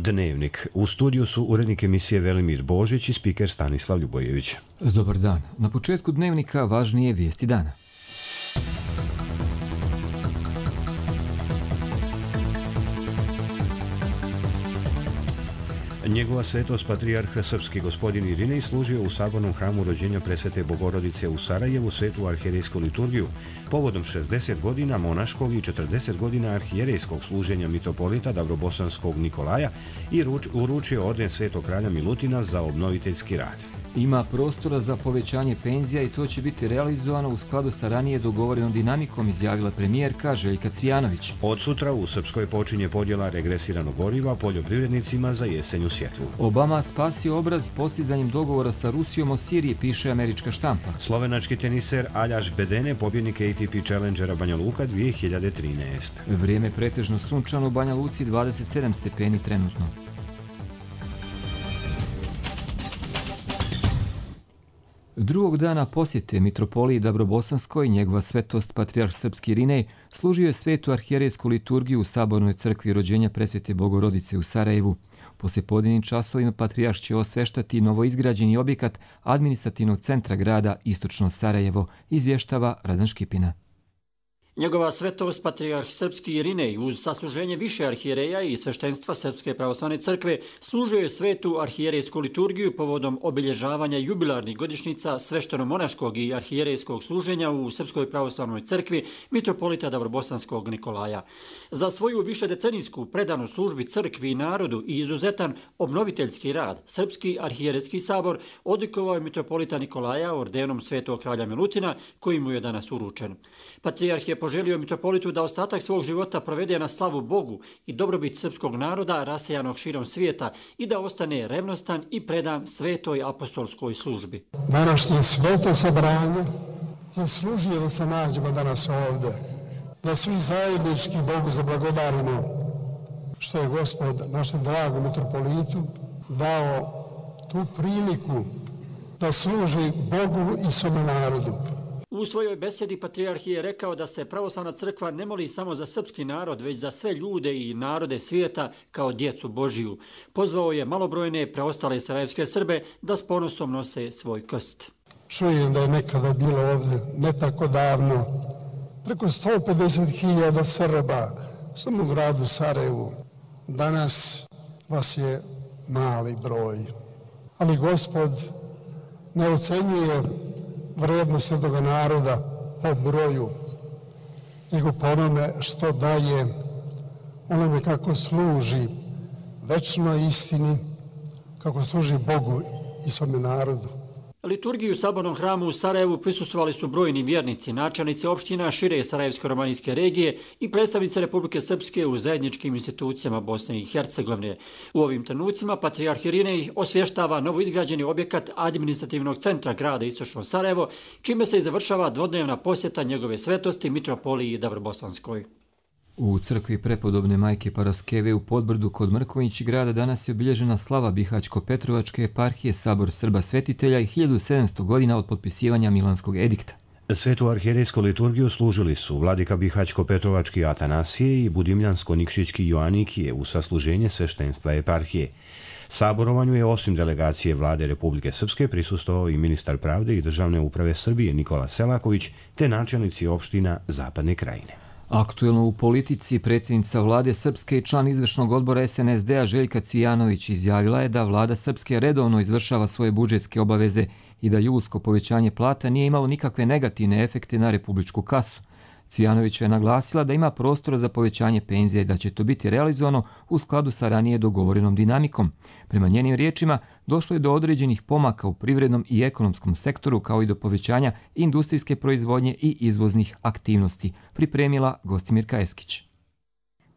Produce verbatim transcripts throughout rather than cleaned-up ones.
Dnevnik. U studiju su urednik emisije Velimir Božić i spiker Stanislav Ljubojević. Dobar dan. Na početku Dnevnika važnije vijesti dana. Njegova svetost patrijarh srpski gospodin Irinej služio u sabornom hramu rođenja presvete Bogorodice u Sarajevu svetu arhijerejsku liturgiju povodom šezdeset godina monaškog i četrdeset godina arhijerejskog služenja mitropolita Dabrobosanskog Nikolaja i uručio orden svetog kralja Milutina za obnoviteljski rad. Ima prostora za povećanje penzija i to će biti realizovano u skladu sa ranije dogovorenom dinamikom, izjavila premijerka Željka Cvijanović. Od sutra u Srpskoj počinje podjela regresiranog goriva poljoprivrednicima za jesenju sjetvu. Obama spasio obraz postizanjem dogovora sa Rusijom o Siriji, piše američka štampa. Slovenački teniser Aljaž Bedene, pobjednik A T P Challengera Banja Luka dvije hiljade trinaeste. Vrijeme pretežno sunčano u Banja Luci, dvadeset sedam stepeni trenutno. Drugog dana posjete mitropoliji Dabrobosanskoj njegova svetost patrijarh srpski Irinej služio je svetu arhijerejsku liturgiju u sabornoj crkvi rođenja presvete Bogorodice u Sarajevu. Poslijepodnevnim časovima patrijarh će osveštati novoizgrađeni objekat administrativnog centra grada Istočno Sarajevo, izvještava Radan Škipina. Njegova svetost patrijarh srpski Irinej uz sasluženje više arhijereja i sveštenstva Srpske pravoslavne crkve služio je svetu arhijerejsku liturgiju povodom obilježavanja jubilarnih godišnjica svešteno-monaškog i arhijerejskog služenja u Srpskoj pravoslavnoj crkvi mitropolita Dabrobosanskog Nikolaja. Za svoju višedecenijsku predanu službi crkvi i narodu i izuzetan obnoviteljski rad Srpski arhijerejski sabor odlikovao je mitropolita Nikolaja ordenom svetog kralja Milutina koji mu je danas uručen. Patrijarh je poželio mitropolitu da ostatak svog života provede na slavu Bogu i dobrobit srpskog naroda rasejanog širom svijeta i da ostane revnostan i predan svetoj apostolskoj službi. Današnje sveto sabranje zaslužuje da se nađemo danas ovdje, da svi zajednički Bogu zablagodarimo što je Gospod našem dragom mitropolitu dao tu priliku da služi Bogu i svome narodu. U svojoj besedi patrijarh je rekao da se pravoslavna crkva ne moli samo za srpski narod, već za sve ljude i narode svijeta kao djecu Božiju. Pozvao je malobrojne preostale sarajevske Srbe da s ponosom nose svoj krst. Čujem da je nekada bilo ovdje, ne tako davno, preko sto pedeset hiljada Srba samo u gradu Sarajevu. Danas vas je mali broj. Ali Gospod ne ocenjuje vrednost svetoga naroda po broju, nego po onome što daje, onome kako služi večnoj istini, kako služi Bogu i svome narodu. Liturgiju u sabornom hramu u Sarajevu prisustvovali su brojni vjernici, načelnici opština šire Sarajevsko-romanijske regije i predstavnice Republike Srpske u zajedničkim institucijama Bosne i Hercegovine. U ovim trenucima patrijarh Irinej osvještava novoizgrađeni objekat administrativnog centra grada Istočno Sarajevo, čime se i završava dvodnevna posjeta njegove svetosti mitropoliji Dabrobosanskoj. U crkvi prepodobne majke Paraskeve u Podbrdu kod Mrkonjić grada danas je obilježena slava Bihać-Petrovačke eparhije Sabor Srba Svetitelja i hiljadu sedamsto godina od potpisivanja Milanskog edikta. Svetu arhijerejsku liturgiju služili su vladika Bihać-Petrovački Atanasije i Budimljansko-Nikšićki Joanikije u sasluženje sveštenstva eparhije. Saborovanju je osim delegacije vlade Republike Srpske prisustvovao i ministar pravde i državne uprave Srbije Nikola Selaković te načelnici opština Zapadne krajine. Aktuelno u politici predsjednica vlade Srpske i član izvršnog odbora S N S D-a Željka Cvijanović izjavila je da vlada Srpske redovno izvršava svoje budžetske obaveze i da julsko povećanje plata nije imalo nikakve negativne efekte na republičku kasu. Cvijanović je naglasila da ima prostora za povećanje penzija i da će to biti realizovano u skladu sa ranije dogovorenom dinamikom. Prema njenim riječima, došlo je do određenih pomaka u privrednom i ekonomskom sektoru kao i do povećanja industrijske proizvodnje i izvoznih aktivnosti, pripremila Gostimirka Eskić.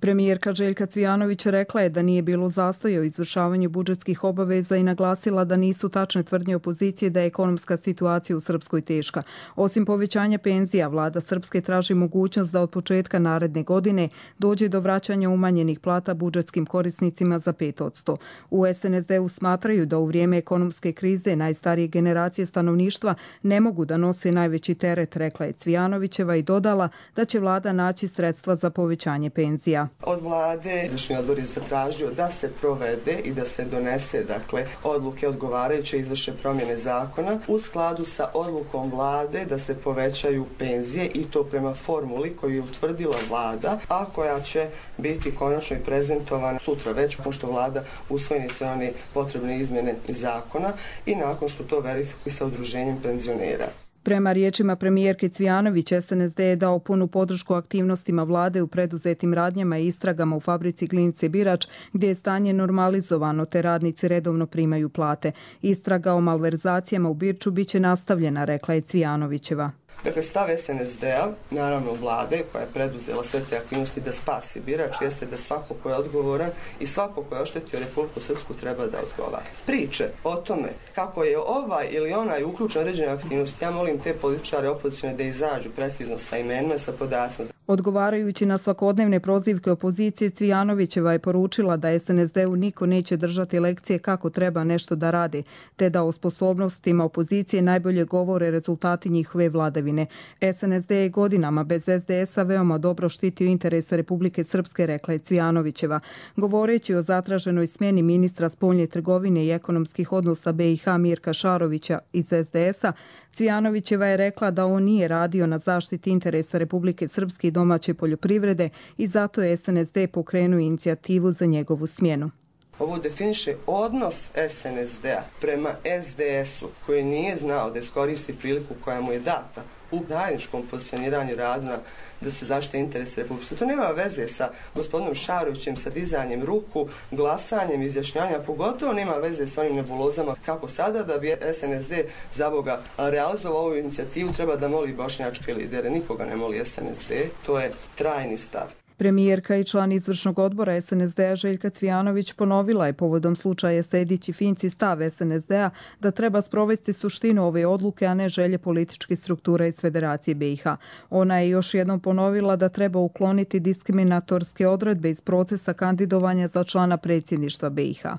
Premijerka Željka Cvijanović rekla je da nije bilo zastoja u izvršavanju budžetskih obaveza i naglasila da nisu tačne tvrdnje opozicije da je ekonomska situacija u Srpskoj teška. Osim povećanja penzija, vlada Srpske traži mogućnost da od početka naredne godine dođe do vraćanja umanjenih plata budžetskim korisnicima za pet posto. U S N S D-u smatraju da u vrijeme ekonomske krize najstarije generacije stanovništva ne mogu da nose najveći teret, rekla je Cvijanovićeva i dodala da će vlada naći sredstva za povećanje penzija. Od vlade izvršni odbor je zatražio da se provede i da se donese dakle odluke odgovarajuće izvrše promjene zakona u skladu sa odlukom vlade da se povećaju penzije i to prema formuli koju je utvrdila vlada, a koja će biti konačno i prezentovana sutra već pošto vlada usvojeni sve one potrebne izmjene zakona i nakon što to verifikuje sa udruženjem penzionera. Prema riječima premijerke Cvijanović, S N S D je dao punu podršku aktivnostima vlade u preduzetim radnjama i istragama u fabrici Glinice Birač, gdje je stanje normalizovano te radnici redovno primaju plate. Istraga o malverzacijama u Birču biće nastavljena, rekla je Cvijanovićeva. Dakle, stav S N S D-a, naravno vlade koja je preduzela sve te aktivnosti da spasi Birač, jeste da svako ko je odgovoran i svako ko je oštetio Republiku Srpsku treba da odgovara. Priče o tome kako je ovaj ili onaj uključen određene aktivnosti, ja molim te političare opozicione da izađu precizno sa imenima i sa podacima. Odgovarajući na svakodnevne prozivke opozicije, Cvijanovićeva je poručila da S N S D-u niko neće držati lekcije kako treba nešto da radi, te da o sposobnostima opozicije najbolje govore rezultati njihove vladavine. S N S D je godinama bez S D S-a veoma dobro štitio interese Republike Srpske, rekla je Cvijanovićeva. Govoreći o zatraženoj smjeni ministra spoljne trgovine i ekonomskih odnosa B i H Mirka Šarovića iz S D S-a, Cvijanovićeva je rekla da on nije radio na zaštiti interesa Republike Srpske i domaće poljoprivrede i zato je S N S D pokrenuo inicijativu za njegovu smjenu. Ovo definiše odnos S N S D-a prema S D S-u koji nije znao da iskoristi priliku koja mu je data u zajedničkom pozicioniranju rada da se zaštite interese Republike. To nema veze sa gospodinom Šarovićem, sa dizanjem ruku, glasanjem, izjašnjavanjem, pogotovo nema veze sa onim nebulozama kako sada da bi S N S D za Boga realizovao ovu inicijativu treba da moli bošnjačke lidere. Nikoga ne moli S N S D, to je trajni stav. Premijerka i član izvršnog odbora S N S D-a Željka Cvijanović ponovila je povodom slučaja Sejdić i Finci stav S N S D-a da treba sprovesti suštinu ove odluke, a ne želje političkih struktura iz Federacije B i H. Ona je još jednom ponovila da treba ukloniti diskriminatorske odredbe iz procesa kandidovanja za člana predsjedništva B i H.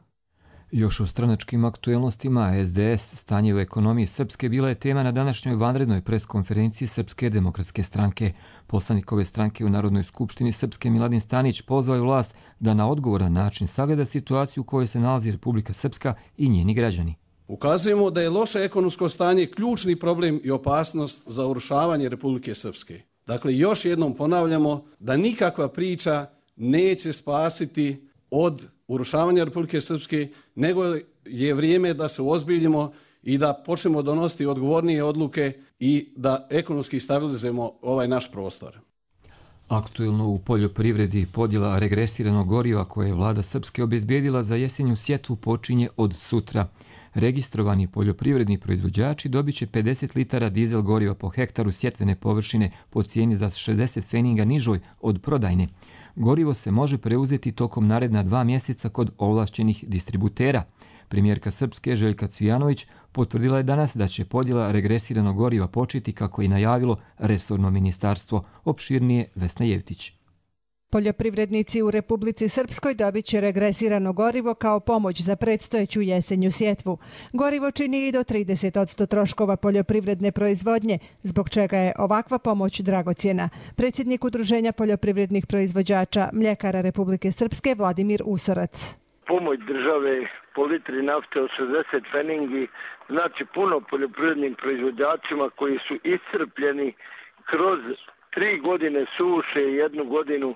Još o stranačkim aktuelnostima, S D S, stanje u ekonomiji Srpske bila je tema na današnjoj vanrednoj preskonferenciji Srpske demokratske stranke. Poslanik ove stranke u Narodnoj skupštini Srpske Miladin Stanić pozvao je vlast da na odgovoran način sagleda situaciju u kojoj se nalazi Republika Srpska i njeni građani. Ukazujemo da je loše ekonomsko stanje ključni problem i opasnost za urušavanje Republike Srpske. Dakle, još jednom ponavljamo da nikakva priča neće spasiti od urušavanja Republike Srpske, nego je vrijeme da se uozbiljimo i da počnemo donositi odgovornije odluke i da ekonomski stabilizujemo ovaj naš prostor. Aktuelno u poljoprivredi podjela regresiranog goriva koje je vlada Srpske obezbijedila za jesenju sjetvu počinje od sutra. Registrovani poljoprivredni proizvođači dobit će pedeset litara dizel goriva po hektaru sjetvene površine po cijeni za šezdeset feninga nižoj od prodajne. Gorivo se može preuzeti tokom naredna dva mjeseca kod ovlašćenih distributera. Premijerka Srpske Željka Cvijanović potvrdila je danas da će podjela regresiranog goriva početi kako je najavilo resorno ministarstvo. Opširnije Vesna Jevtić. Poljoprivrednici u Republici Srpskoj dobit će regresirano gorivo kao pomoć za predstojeću jesenju sjetvu. Gorivo čini i do trideset posto troškova poljoprivredne proizvodnje, zbog čega je ovakva pomoć dragocjena. Predsjednik Udruženja poljoprivrednih proizvođača Mljekara Republike Srpske Vladimir Usorac. Pomoć države po litri nafte od šezdeset feningi znači puno poljoprivrednim proizvođačima koji su iscrpljeni kroz tri godine suše i jednu godinu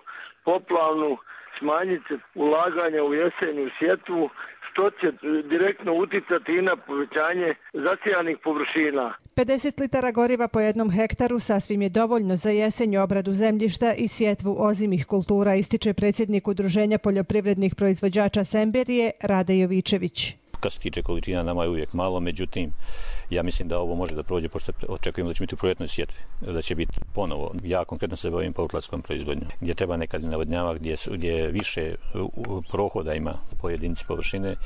poplavnu, smanjiti ulaganja u jesenju sjetvu, što će direktno uticati i na povećanje zasijanih površina. pedeset litara goriva po jednom hektaru sasvim je dovoljno za jesenju obradu zemljišta i sjetvu ozimih kultura, ističe predsjednik Udruženja poljoprivrednih proizvođača Semberije Rade Jovičević. Kad se tiče količina, nama je uvijek malo, međutim, ja mislim da ovo može da prođe, pošto očekujemo da će biti u proljetnoj sjetvi, da će biti ponovo. Ja konkretno se bavim poukladskom proizvodnjom, gdje treba nekad navodnjava, gdje, gdje više prohoda ima po jedinici površine,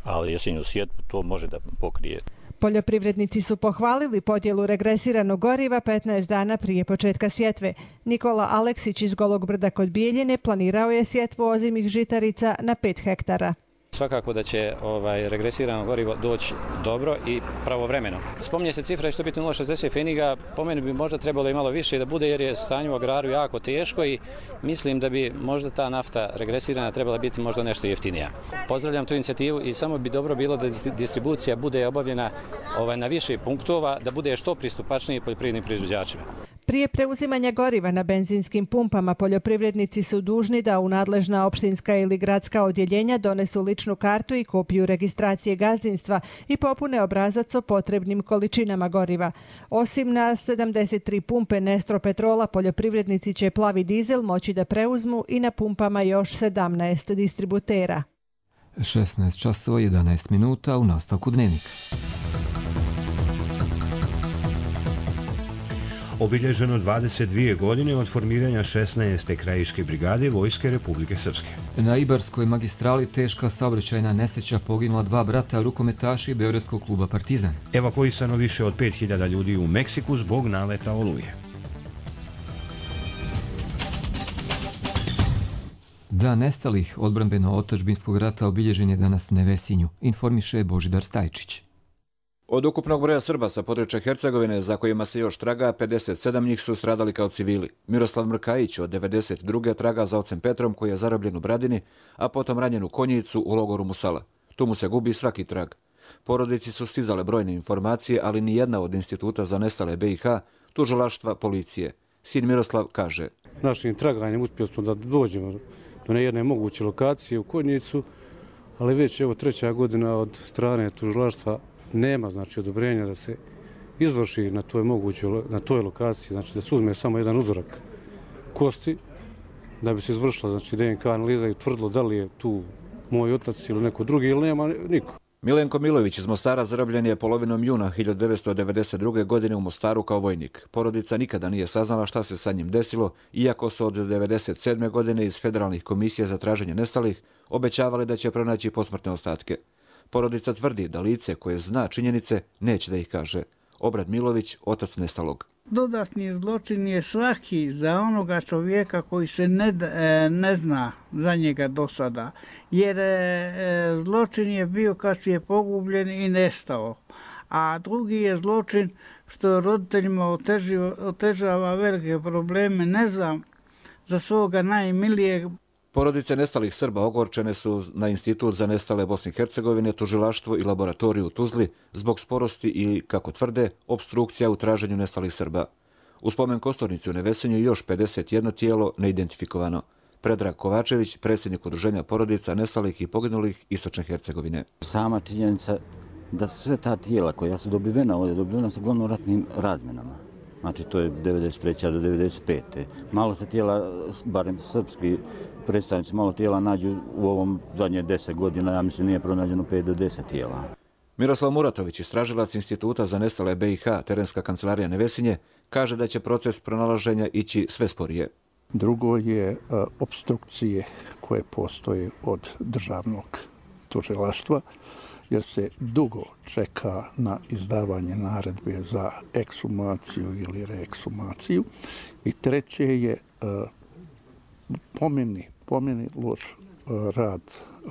ali jesenju sjetvu to može da pokrije. Poljoprivrednici su pohvalili podjelu regresiranog goriva petnaest dana prije početka sjetve. Nikola Aleksić iz Golog Brda kod Bijeljine planirao je sjetvu ozimih žitarica na pet hektara. Svakako da će ovaj, regresirano gorivo doći dobro i pravovremeno. Spominje se cifra da će to biti nula zarez šezdeset pfeniga, po meni bi možda trebalo i malo više da bude jer je stanje u agraru jako teško i mislim da bi možda ta nafta regresirana trebala biti možda nešto jeftinija. Pozdravljam tu inicijativu i samo bi dobro bilo da distribucija bude obavljena ovaj, na više punktova, da bude što pristupačniji poljoprivrednim proizvođačima. Prije preuzimanja goriva na benzinskim pumpama poljoprivrednici su dužni da u nadležna opštinska ili gradska odjeljenja donesu ličnu kartu i kopiju registracije gazdinstva i popune obrazac o potrebnim količinama goriva. Osim na sedamdeset tri pumpe Nestro Petrola, poljoprivrednici će plavi dizel moći da preuzmu i na pumpama još sedamnaest distributera. šesnaest časova jedanaest minuta u nastavku dnevnika. Obilježeno dvadeset dvije godine od formiranja šesnaeste krajiške brigade Vojske Republike Srpske. Na Ibarskoj magistrali teška saobraćajna nesreća, poginula dva brata rukometaši Beogradskog kluba Partizan. Evakuisano više od pet hiljada ljudi u Meksiku zbog naleta oluje. Dan nestalih odbrambeno-otadžbinskog rata obilježen je danas u Nevesinju, informiše Božidar Stajčić. Od ukupnog broja Srba sa područja Hercegovine, za kojima se još traga, pedeset sedam njih su stradali kao civili. Miroslav Mrkajić od devedeset druge traga za ocem Petrom, koji je zarobljen u Bradini, a potom ranjen u Konjicu u logoru Musala. Tu mu se gubi svaki trag. Porodici su stizale brojne informacije, ali ni jedna od instituta za nestale be i ha, tužilaštva, policije. Sin Miroslav kaže: Našim traganjem uspjeli smo da dođemo do nejedne moguće lokacije u Konjicu, ali već evo treća godina od strane tužilaštva nema znači odobrenja da se izvrši na toj mogućoj na toj lokaciji, znači da se uzme samo jedan uzorak kosti da bi se izvršila znači de en ka analiza i utvrdilo da li je tu moj otac ili neko drugi ili nema niko. Milenko Milović iz Mostara zarobljen je polovinom juna hiljadu devetsto devedeset druge. godine u Mostaru kao vojnik. Porodica nikada nije saznala šta se sa njim desilo, iako su od devedeset sedme. godine iz federalnih komisija za traženje nestalih obećavali da će pronaći posmrtne ostatke. Porodica tvrdi da lice koje zna činjenice neće da ih kaže. Obrad Milović, otac nestalog. Dodatni zločin je svaki za onoga čovjeka koji se ne, ne zna za njega do sada. Jer zločin je bio kad si je pogubljen i nestao. A drugi je zločin što roditeljima otežava, otežava velike probleme. Ne znam za svoga najmilijeg. Porodice nestalih Srba ogorčene su na Institut za nestale Bosne i Hercegovine, tužilaštvo i laboratoriju u Tuzli zbog sporosti i, kako tvrde, obstrukcija u traženju nestalih Srba. U spomen kosturnici u Nevesinju još pedeset jedno tijelo neidentifikovano. Predrag Kovačević, predsjednik udruženja porodica nestalih i poginulih Istočne Hercegovine. Sama činjenica da sve ta tijela koja su dobivena ovdje, dobivena su uglavnom ratnim razmenama. Znači to je devedeset treće do devedeset pete. Malo se tijela, barem srpski predstavnici, malo tijela nađu u ovom zadnje deset godina, ja mislim nije pronađeno pet do deset tijela. Miroslav Muratović, istražilac Instituta za nestale be i ha, terenska kancelarija Nevesinje, kaže da će proces pronalaženja ići sve sporije. Drugo je a, obstrukcije koje postoje od državnog tužilaštva, jer se dugo čeka na izdavanje naredbe za ekshumaciju ili reekshumaciju. I treće je uh, pomeni, pomeni loš uh, rad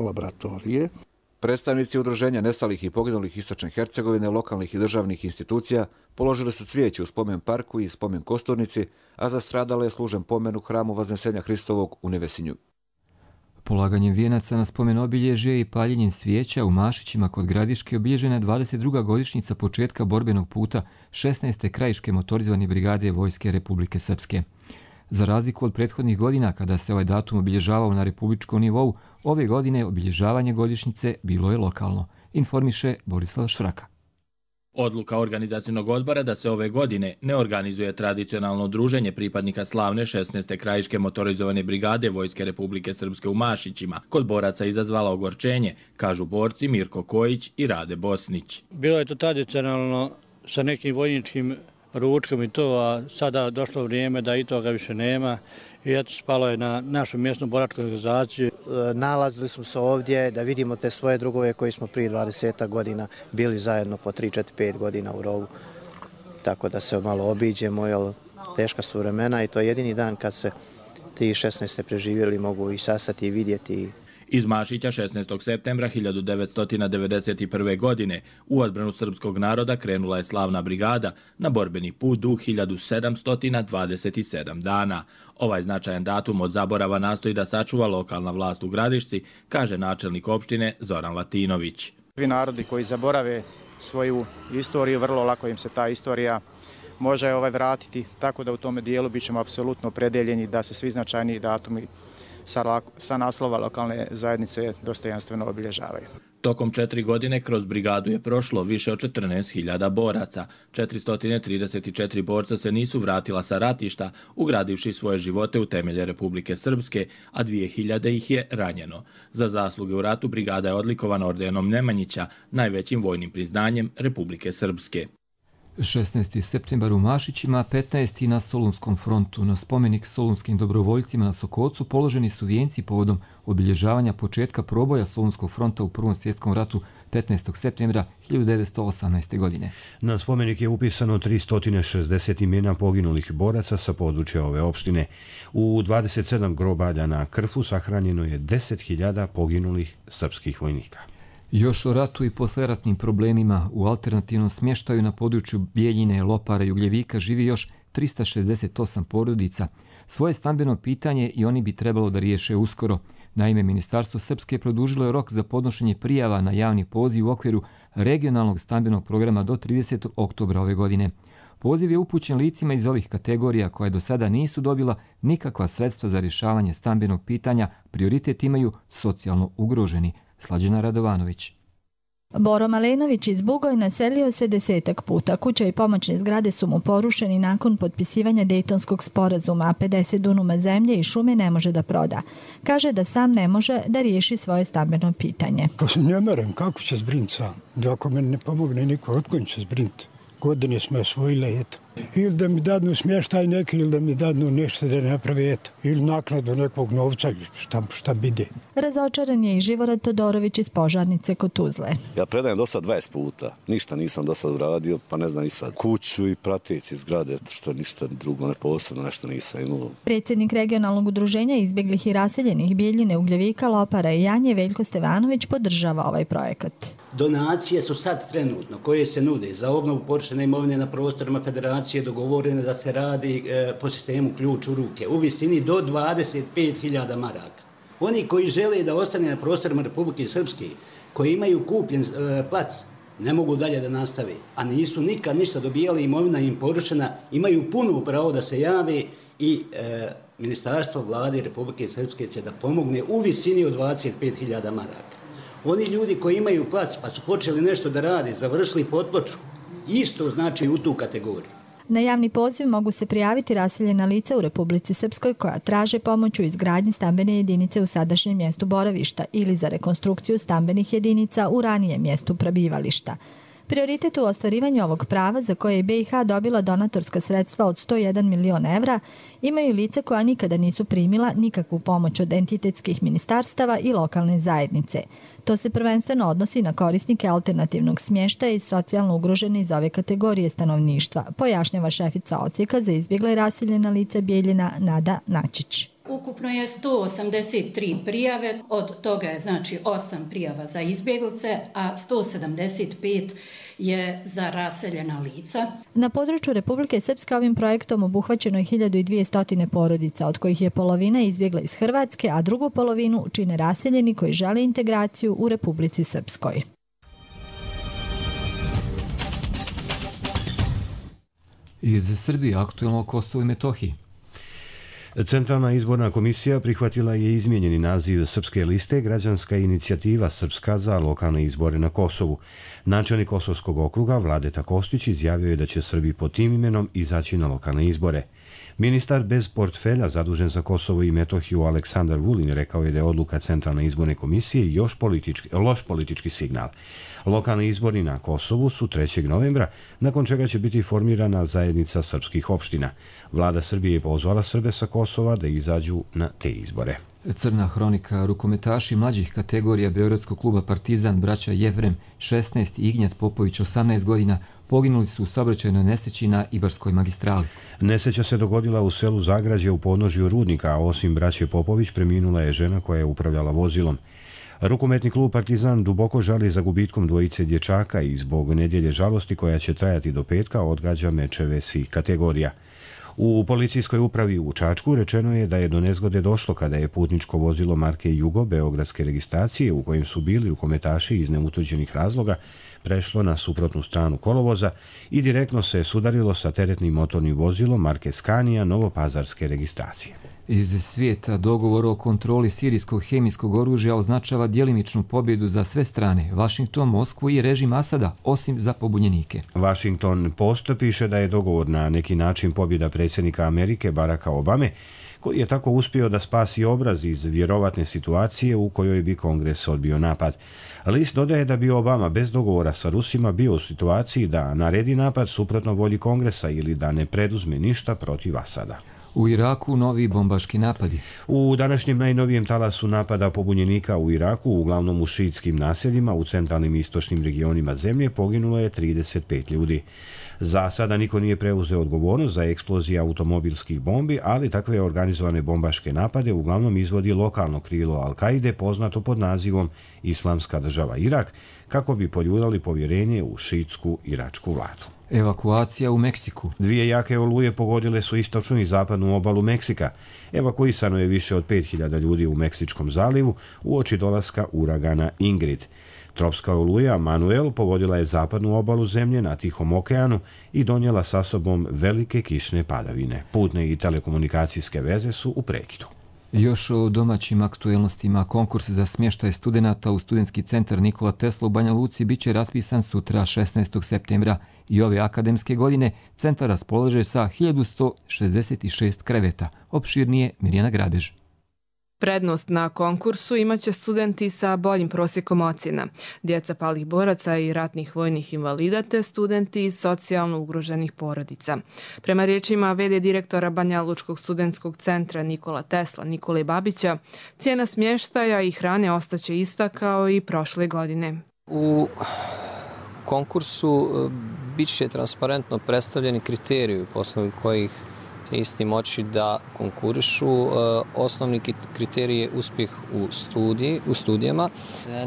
laboratorije. Predstavnici udruženja nestalih i poginulih Istočne Hercegovine, lokalnih i državnih institucija položili su cvijeće u spomen parku i spomen kosturnici, a za stradale je služen pomen u hramu Vaznesenja Hristovog u Nevesinju. Polaganjem vijenaca na spomen obilježje i paljenjem svijeća u Mašićima kod Gradiške obilježena je dvadeset druga godišnjica početka borbenog puta šesnaeste krajiške motorizovane brigade Vojske Republike Srpske. Za razliku od prethodnih godina kada se ovaj datum obilježavao na republičkom nivou, ove godine obilježavanje godišnjice bilo je lokalno, informiše Borislav Švraka. Odluka organizacijnog odbora da se ove godine ne organizuje tradicionalno druženje pripadnika slavne šesnaeste krajiške motorizovane brigade Vojske Republike Srpske u Mašićima kod boraca izazvala ogorčenje, kažu borci Mirko Kojić i Rade Bosnić. Bilo je to tradicionalno sa nekim vojničkim ručkom i to, a sada došlo vrijeme da i toga više nema. I eto, spalo je na našu mjesnu boračku organizaciju. Nalazili smo se ovdje da vidimo te svoje drugove koji smo prije dvadeset godina bili zajedno po tri, četiri, pet godina u rovu. Tako da se malo obiđemo, jer teška su vremena i to je jedini dan kad se ti šesnaeste preživjeli mogu i sasati i vidjeti. Iz Mašića šesnaestog septembra hiljadu devetsto devedeset prve. godine u odbranu srpskog naroda krenula je slavna brigada na borbeni put dug hiljadu sedamsto dvadeset sedam dana. Ovaj značajan datum od zaborava nastoji da sačuva lokalna vlast u Gradišci, kaže načelnik opštine Zoran Latinović. Svi narodi koji zaborave svoju istoriju, vrlo lako im se ta istorija može ovaj vratiti, tako da u tome dijelu bit ćemo apsolutno opredeljeni da se svi značajniji datumi sa, sa naslova lokalne zajednice dostojanstveno obilježavaju. Tokom četiri godine kroz brigadu je prošlo više od četrnaest hiljada boraca. četiristo trideset četiri borca se nisu vratila sa ratišta, ugradivši svoje živote u temelje Republike Srpske, a dvije hiljade ih je ranjeno. Za zasluge u ratu brigada je odlikovana ordenom Nemanjića, najvećim vojnim priznanjem Republike Srpske. šesnaesti septembar u Mašićima, petnaesti na Solunskom frontu. Na spomenik solunskim dobrovoljcima na Sokocu položeni su vijenci povodom obilježavanja početka proboja Solunskog fronta u Prvom svjetskom ratu petnaestog septembra hiljadu devetsto osamnaeste. godine. Na spomenik je upisano tristo šezdeset imena poginulih boraca sa područja ove opštine. U dvadeset sedam grobalja na Krfu sahranjeno je deset hiljada poginulih srpskih vojnika. Još o ratu i posleratnim problemima u alternativnom smještaju na području Bijeljine, Lopara i Ugljevika živi još trista šezdeset osam porodica. Svoje stambeno pitanje i oni bi trebalo da riješe uskoro. Naime, Ministarstvo Srpske produžilo je rok za podnošenje prijava na javni poziv u okviru regionalnog stambenog programa do tridesetog oktobra ove godine. Poziv je upućen licima iz ovih kategorija koje do sada nisu dobila nikakva sredstva za rješavanje stambenog pitanja, prioritet imaju socijalno ugroženi. Slađana Radovanović. Boro Malenović iz Bugoj naselio se desetak puta. Kuća i pomoćne zgrade su mu porušeni nakon potpisivanja Dejtonskog sporazuma, a pedeset dunuma zemlje i šume ne može da proda. Kaže da sam ne može da riješi svoje stambeno pitanje. Pa ne merem, kako će zbrinuti sam? Da ako meni ne pomogne niko, otko će zbrinuti? Godine smo osvojile, eto. Ili da mi dadnu smještaj neki, ili da mi dadnu nešto da naprave, eto. Ili naknadu nekog novca, šta, šta bide. Razočaran je i Živorad Todorović iz Požarnice kod Tuzle. Ja predajem do sad dvadeset puta. Ništa nisam do sad uradio, pa ne znam i sad. Kuću i prateći zgrade, što ništa drugo ne posebno, nešto nisam imao. Predsjednik regionalnog udruženja izbjeglih i raseljenih Bijeljine, Ugljevika, Lopara i Janje, Veljko Stevanović, podržava ovaj projekat. Donacije su sad trenutno koje se nude za obnovu porušene imovine na prostorima federacije dogovorene da se radi e, po sistemu ključ u ruke u visini do dvadeset pet hiljada maraka. Oni koji žele da ostane na prostorima Republike Srpske, koji imaju kupljen e, plac, ne mogu dalje da nastave, a nisu nikad ništa dobijali, imovina im porušena, imaju puno pravo da se jave i e, Ministarstvo vlade Republike Srpske će da pomogne u visini od dvadeset pet hiljada maraka. Oni ljudi koji imaju plac pa su počeli nešto da radi, završili potploču, isto znači u tu kategoriju. Na javni poziv mogu se prijaviti raseljena lica u Republici Srpskoj koja traže pomoć u izgradnji stambene jedinice u sadašnjem mjestu boravišta ili za rekonstrukciju stambenih jedinica u ranijem mjestu prebivališta. Prioritet u ostvarivanju ovog prava, za koje je B i H dobila donatorska sredstva od sto jedan milion evra, imaju lica koja nikada nisu primila nikakvu pomoć od entitetskih ministarstava i lokalne zajednice. To se prvenstveno odnosi na korisnike alternativnog smještaja i socijalno ugrožene iz ove kategorije stanovništva, pojašnjava šefica odsjeka za izbjegla i raseljena lica Bijeljina Nada Načić. Ukupno je sto osamdeset tri prijave, od toga je znači osam prijava za izbjeglice, a sto sedamdeset pet je za raseljena lica. Na području Republike Srpske ovim projektom obuhvaćeno je hiljadu dvjesto porodica, od kojih je polovina izbjegla iz Hrvatske, a drugu polovinu čine raseljeni koji žele integraciju u Republici Srpskoj. Iz Srbije aktuelno o Kosovu i Metohiji. Centralna izborna komisija prihvatila je izmijenjeni naziv Srpske liste Građanska inicijativa Srpska za lokalne izbore na Kosovu. Načelnik Kosovskog okruga Vladeta Kostić izjavio je da će Srbi pod tim imenom izaći na lokalne izbore. Ministar bez portfelja zadužen za Kosovo i Metohiju Aleksandar Vulin rekao je da je odluka Centralne izborne komisije još politički, loš politički signal. Lokalni izbori na Kosovu su trećeg novembra, nakon čega će biti formirana zajednica srpskih opština. Vlada Srbije je pozvala Srbe sa Kosova da izađu na te izbore. Crna hronika. Rukometaši mlađih kategorija Beogradskog kluba Partizan, braća Jevrem šesnaest i Ignjat Popović osamnaest godina, poginuli su u saobraćajnoj nesreći na Ibarskoj magistrali. Nesreća se dogodila u selu Zagrađe u podnožju rudnika, a osim braće Popović preminula je žena koja je upravljala vozilom. Rukometni klub Partizan duboko žali za gubitkom dvojice dječaka i zbog nedjelje žalosti koja će trajati do petka odgađa mečeve svih kategorija. U policijskoj upravi u Čačku rečeno je da je do nezgode došlo kada je putničko vozilo marke Jugo beogradske registracije u kojem su bili rukometaši iz neutvrđenih razloga prešlo na suprotnu stranu kolovoza i direktno se sudarilo sa teretnim motornim vozilom marke Scania novopazarske registracije. Iz svijeta dogovor o kontroli sirijskog hemijskog oružja označava djelimičnu pobjedu za sve strane, Vašington, Moskvu i režim Asada, osim za pobunjenike. Washington Post piše da je dogovor na neki način pobjeda predsjednika Amerike Baracka Obame, koji je tako uspio da spasi obraz iz vjerovatne situacije u kojoj bi Kongres odbio napad. List dodaje da bi Obama bez dogovora sa Rusima bio u situaciji da naredi napad suprotno volji Kongresa ili da ne preduzme ništa protiv Asada. U Iraku novi bombaški napadi. U današnjem najnovijem talasu napada pobunjenika u Iraku, uglavnom u šiitskim naseljima u centralnim i istočnim regionima zemlje, poginulo je trideset pet ljudi. Za sada niko nije preuzeo odgovornost za eksplozije automobilskih bombi, ali takve organizovane bombaške napade uglavnom izvodi lokalno krilo Al-Kaide, poznato pod nazivom Islamska država Irak, kako bi poljuljali povjerenje u šiitsku iračku vladu. Evakuacija u Meksiku. Dvije jake oluje pogodile su istočnu i zapadnu obalu Meksika. Evakuisano je više od pet hiljada ljudi u Meksičkom zalivu uoči dolaska uragana Ingrid. Tropska oluja Manuel pogodila je zapadnu obalu zemlje na Tihom okeanu i donijela sa sobom velike kišne padavine. Putne i telekomunikacijske veze su u prekidu. Još o domaćim aktuelnostima. Konkurs za smještaj studenata u studentski centar Nikola Tesla u Banja Luci bit će raspisan sutra šesnaestog septembra i ove akademske godine centar raspolaže sa hiljadu sto šezdeset šest kreveta. Opširnije Mirjana Grabež. Prednost na konkursu imaće studenti sa boljim prosjekom ocjena, djeca palih boraca i ratnih vojnih invalida te studenti iz socijalno ugroženih porodica. Prema riječima ve de direktora Banja Lučkog studentskog centra Nikola Tesla Nikole Babića, cijena smještaja i hrane ostaće ista kao i prošle godine. U konkursu bit će transparentno predstavljeni kriteriji po osnovu kojih isti moći da konkurišu. Osnovni kriterij je uspjeh u, studiji, u studijama.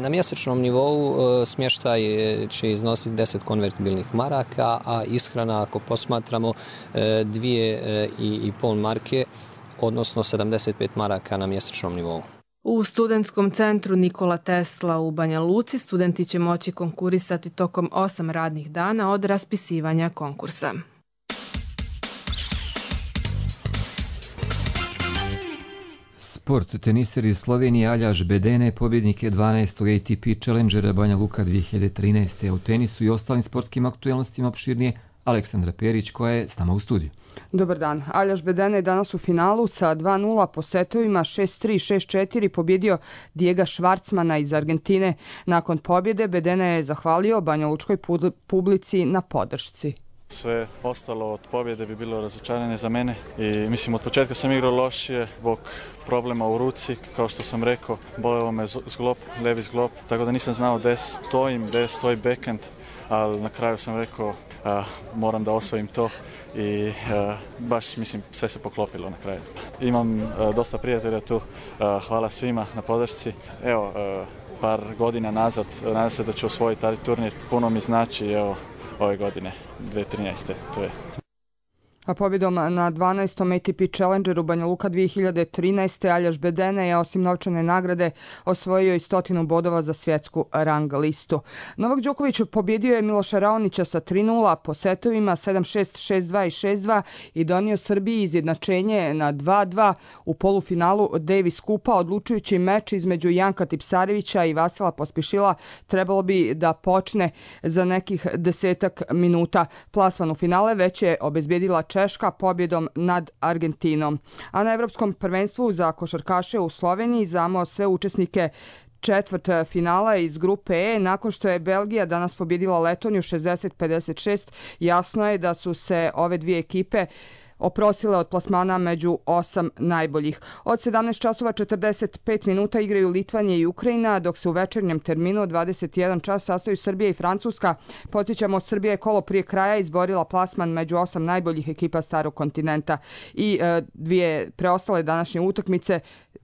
Na mjesečnom nivou smještaj će iznositi deset konvertibilnih maraka, a ishrana, ako posmatramo, dvije i pol marke, odnosno sedamdeset pet maraka na mjesečnom nivou. U studentskom centru Nikola Tesla u Banja Luci studenti će moći konkurisati tokom osam radnih dana od raspisivanja konkursa. Sport. Teniser iz Slovenije Aljaž Bedene pobjednik je dvanaestog A T P Challengera Banja Luka dvije hiljade trinaeste. U tenisu i ostalim sportskim aktuelnostima opširnije Aleksandra Perić koja je s nama u studiju. Dobar dan. Aljaž Bedene je danas u finalu sa dva nula po setovima šest tri šest četiri pobjedio Dijega Švarcmana iz Argentine. Nakon pobjede Bedene je zahvalio Banja Lučkoj publici na podršci. Sve ostalo od pobjede bi bilo razočaranje za mene i mislim od početka sam igrao lošije zbog problema u ruci, kao što sam rekao, bolelo me zglob, levi zglob, tako da nisam znao gdje stojim, gdje stoji backhand, ali na kraju sam rekao a, moram da osvojim to i a, baš mislim sve se poklopilo na kraju. Imam a, dosta prijatelja tu, a, hvala svima na podršci. Evo, a, par godina nazad, nadam se da ću osvojiti taj turnir, puno mi znači, evo, ove godine, dvije hiljade trinaeste. To je. A pobjedom na dvanaestom A T P Challengeru Banja Luka dvije hiljade trinaeste Aljaž Bedene je osim novčane nagrade osvojio i stotinu bodova za svjetsku rang listu. Novak Đoković pobjedio je Miloša Raonića sa tri nula po setovima sedam šest, šest dva i šest dva i donio Srbiji izjednačenje na dva dva u polufinalu Davis Kupa. Odlučujući meč između Janka Tipsarevića i Vasila Pospišila trebalo bi da počne za nekih desetak minuta. Plasman u finale već je obezbjedila Češka pobjedom nad Argentinom. A na Evropskom prvenstvu za košarkaše u Sloveniji znamo sve učesnike četvrt finala iz grupe E. Nakon što je Belgija danas pobjedila Letoniju šezdeset pedeset šest, jasno je da su se ove dvije ekipe oprostile od plasmana među osam najboljih. Od sedamnaest časova četrdeset pet minuta igraju Litvanija i Ukrajina, dok se u večernjem terminu od dvadeset jedan čas sastaju Srbija i Francuska. Podsjećamo, Srbija je kolo prije kraja izborila plasman među osam najboljih ekipa starog kontinenta i e, dvije preostale današnje utakmice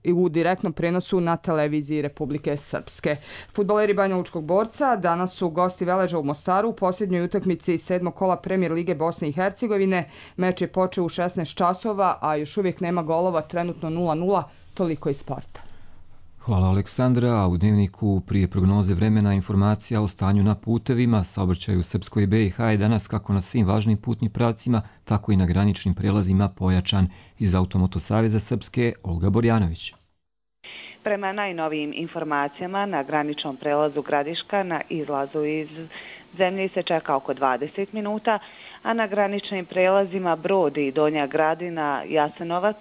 u direktnom prenosu na televiziji Republike Srpske. Fudbaleri Banjalučkog Borca danas su gosti Veleža u Mostaru u posljednjoj utakmici sedmog kola Premijer Lige Bosne i Hercegovine. Meč je počeo u šesnaest časova, a još uvijek nema golova, trenutno nula nula, toliko iz sporta. Hvala Aleksandra, a u dnevniku prije prognoze vremena informacija o stanju na putevima, saobraćaju u Srpskoj B i H je danas kako na svim važnim putnim pravcima, tako i na graničnim prelazima pojačan. Iz Automoto Saveza Srpske, Olga Borjanović. Prema najnovijim informacijama, na graničnom prelazu Gradiška na izlazu iz zemlje se čeka oko dvadeset minuta, a na graničnim prelazima Brod i Donja Gradina, Jasenovac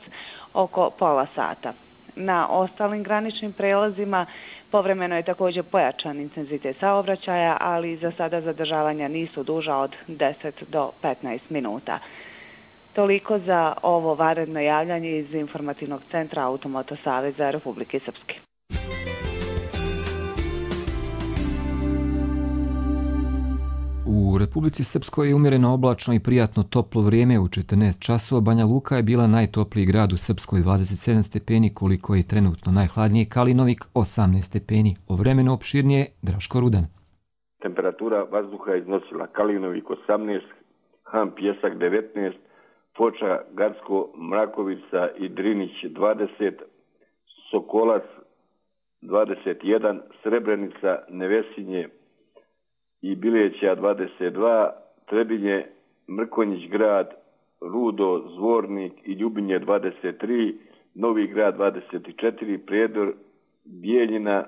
oko pola sata. Na ostalim graničnim prelazima povremeno je također pojačan intenzitet saobraćaja, ali za sada zadržavanja nisu duža od deset do petnaest minuta. Toliko za ovo vanredno javljanje iz informativnog centra Automoto Saveza Republike Srpske. U Republici Srpskoj je umjereno oblačno i prijatno toplo vrijeme. U četrnaest časova Banja Luka je bila najtopliji grad u Srpskoj, dvadeset sedam stepeni, koliko je trenutno najhladnije Kalinovik, osamnaest stepeni. O vremenu opširnije Draško Rudan. Temperatura vazduha iznosila Kalinovik osamnaest, Han Pjesak devetnaest, Foča, Gacko, Mrakovica i Drinić dvadeset, Sokolac dvadeset jedan, Srebrenica, Nevesinje i Bileća dvadeset dva, Trebinje, Mrkonjić grad, Rudo, Zvornik i Ljubinje dvadeset tri, Novi grad dvadeset četiri, Prijedor, Bijeljina,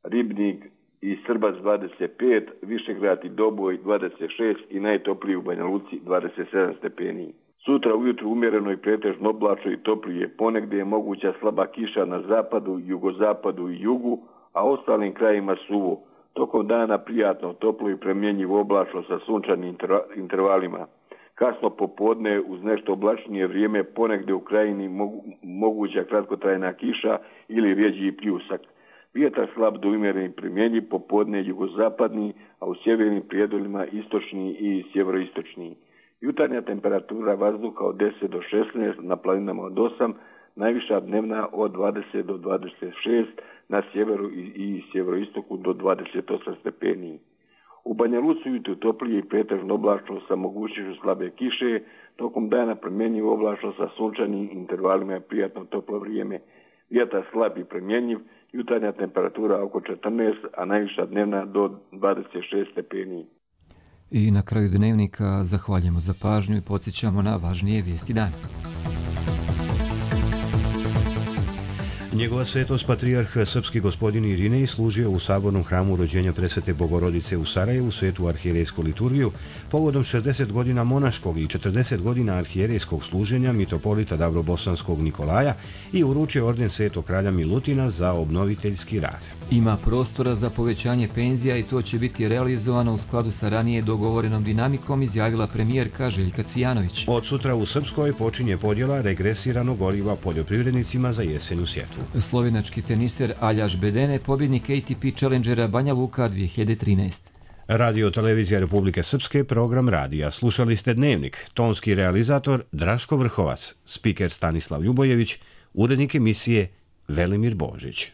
Ribnik i Srbac dvadeset pet, Višegrad i Doboj dvadeset šest i najtopliji u Banja Luci dvadeset sedam stepeni. Sutra ujutru umjereno i pretežno oblačno i toplije, ponegdje je moguća slaba kiša na zapadu, jugozapadu i jugu, a ostalim krajima suvo. Tokom dana prijatno, toplo i premjenjivo oblačno sa sunčanim intervalima. Kasno popodne uz nešto oblačnije vrijeme ponegdje u krajini mogu, moguća kratkotrajna kiša ili rjeđi pljusak. Vjetar slab do umjeren i premjenjiv, popodne jugozapadni, a u sjevernim prijedolima istočni i sjeveroistočni. Jutarnja temperatura vazduha od deset do šesnaest, na planinama od osam, najviša dnevna od dvadeset do dvadeset šest, na sjeveru i, i sjeveroistoku do dvadeset osam stepeni. U Banja Luci ujutro toplije i pretežno oblačno sa mogućnošću slabe kiše, tokom dana promjenjivo oblačno sa sunčanim intervalima i prijatno toplo vrijeme. Vjetar slab i promjenjiv, jutarnja temperatura oko četrnaest, a najviša dnevna do dvadeset šest stepeni. I na kraju dnevnika zahvaljujemo za pažnju i podsjećamo na važnije vijesti dana. Njegova svetost patrijarh srpski gospodin Irinej služio u sabornom hramu rođenja presvete Bogorodice u Sarajevu svetu arhijerejsku liturgiju povodom šezdeset godina monaškog i četrdeset godina arhijerejskog služenja mitropolita Davrobosanskog Nikolaja i uručio orden svetog kralja Milutina za obnoviteljski rad. Ima prostora za povećanje penzija i to će biti realizovano u skladu sa ranije dogovorenom dinamikom, izjavila premijerka Željka Cvijanović. Od sutra u Srpskoj počinje podjela regresiranog goriva poljoprivrednicima za jesenju sjetvu. Slovenački teniser Aljaž Bedene, pobjednik A T P Challengera Banja Luka dvije hiljade trinaeste. Radio Televizija Republike Srpske, program radija. Slušali ste Dnevnik, tonski realizator Draško Vrhovac, spiker Stanislav Ljubojević, urednik emisije Velimir Božić.